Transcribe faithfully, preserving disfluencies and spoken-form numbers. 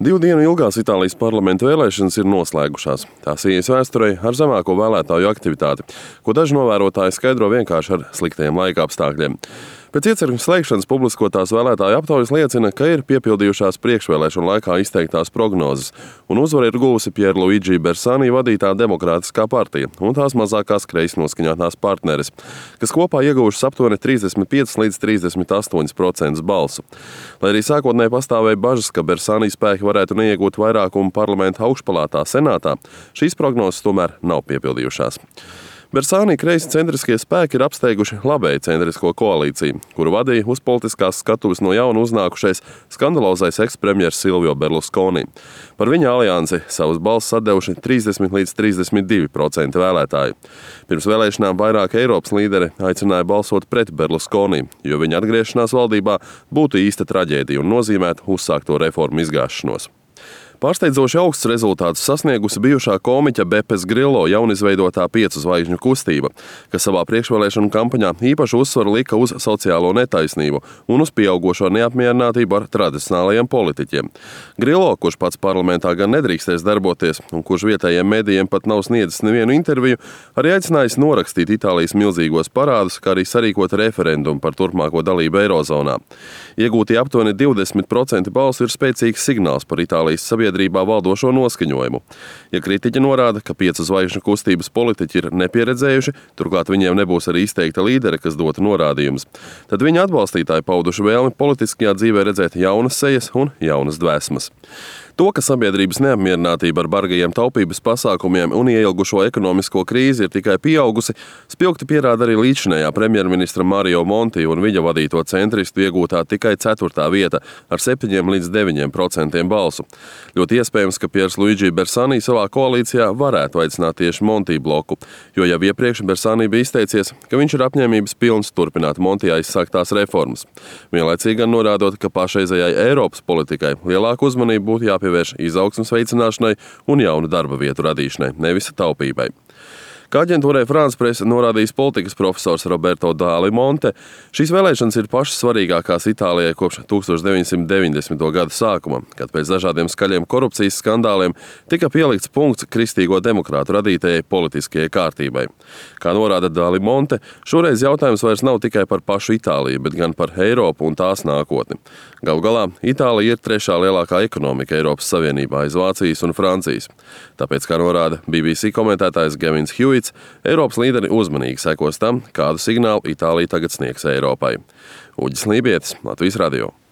Divu dienu ilgās Itālijas parlamenta vēlēšanas ir noslēgušās. Tās ies vēsturei ar zemāko vēlētāju aktivitāti, ko daži novērotāji skaidro vienkārši ar sliktiem laika apstākļiem. Pēc iecirkņu slēgšanas publiskotās vēlētāju aptaujas liecina, ka ir piepildījušās priekšvēlēšanu laikā izteiktās prognozes, un uzvaru ir guvusi Pierluigi Bersani vadītā Demokrātiskā partija un tās mazākās kreisi noskaņotās partneres, kas kopā ieguvušas aptuveni trīsdesmit pieci līdz trīsdesmit astoņi procenti balsu. Lai arī sākotnēji pastāvēja bažas, ka Bersani spēki varētu neiegūt vairākumu parlamenta augšpalātā senātā, šīs prognozes tomēr nav piepildījušās. Bersani kreisi centriskie spēki ir apsteiguši labēji centrisko koalīciju, kuru vadīja uz politiskās skatuves no jauna uznākušais skandalozais ekspremjers Silvio Berlusconi. Par viņa aliansi savas balsis atdevuši trīsdesmit līdz trīsdesmit divi procenti vēlētāju. Pirms vēlēšanām vairāk Eiropas līderi aicināja balsot pret Berlusconi, jo viņa atgriešanās valdībā būtu īsta traģēdija un nozīmētu uzsākto reformu izgāšanos. Pārsteidzoši augsts rezultātus sasniegusi bijušā komiķa Bepes Grillo jaunizveidotā piecu zvaigžņu kustība, kas savā priekšvēlēšanu kampaņā īpašu uzsvaru lika uz sociālo netaisnību un uz pieaugošo neapmierinātību ar tradicionālajiem politiķiem. Grillo, kurš pats parlamentā gan nedrīkstēs darboties un kurš vietējiem medijiem pat nav sniedzis nevienu interviju, arī aicinājis norakstīt Itālijas milzīgos parādus, kā arī sarīkot referendumu par turpmāko dalību Eirozonā. Iegūtie aptuveni divdesmit procenti balsu ir spēcīgs signāls par Itālijas sabiedrībā valdošo noskaņojumu. Ja kritiķi norāda, ka piecu zvaigžņu kustības politiķi ir nepieredzējuši, turklāt viņiem nebūs arī izteikta līdere, kas dotu norādījumus, tad viņa atbalstītāji pauduši vēlmi politiskajā dzīvē redzēt jaunas sejas un jaunas dvēsmas. To, ka sabiedrības neapmierinātība ar bargajiem taupības pasākumiem un ieilgušo ekonomisko krīzi ir tikai pieaugusi, spilgti pierāda arī līdzinējā premjerministra Mario Monti un viņa vadīto centristu iegūtā tikai ceturtā vieta ar septiņiem līdz deviņiem procentiem balsu. Ļoti iespējams, ka Pierluigi Bersani savā koalīcijā varētu aicināt tieši Monti bloku, jo jau iepriekš Bersani bija izteicies, ka viņš ir apņēmības pilns turpināt Monti aizsāktās reformas. Vienlaicīgi gan norādot, ka pašreizējai Eiropas politikai lielāku uzmanību būtu jāpievērš pievērš izaugsmes veicināšanai un jaunu darba vietu radīšanai, nevis taupībai. Kā aģentūrai France Presse norādījis politikas profesors Roberto Dali Monte, šīs vēlēšanas ir pašas svarīgākās Itālijai kopš tūkstoš deviņsimt deviņdesmito gada sākuma, kad pēc dažādiem skaļiem korupcijas skandāliem tika pielikts punkts kristīgo demokrātu radītajai politiskajai kārtībai. Kā norāda Dali Monte, šoreiz jautājums vairs nav tikai par pašu Itāliju, bet gan par Eiropu un tās nākotni. Galu galā, Itālija ir trešā lielākā ekonomika Eiropas Savienībā aiz Vācijas un Francijas. Tāpēc, kā norāda B B C komentētājs Gavins Hewitts, Eiropas līderi uzmanīgi sekos tam, kādu signālu Itālija tagad sniegs Eiropai. Uģis Lībietis, Latvijas radio.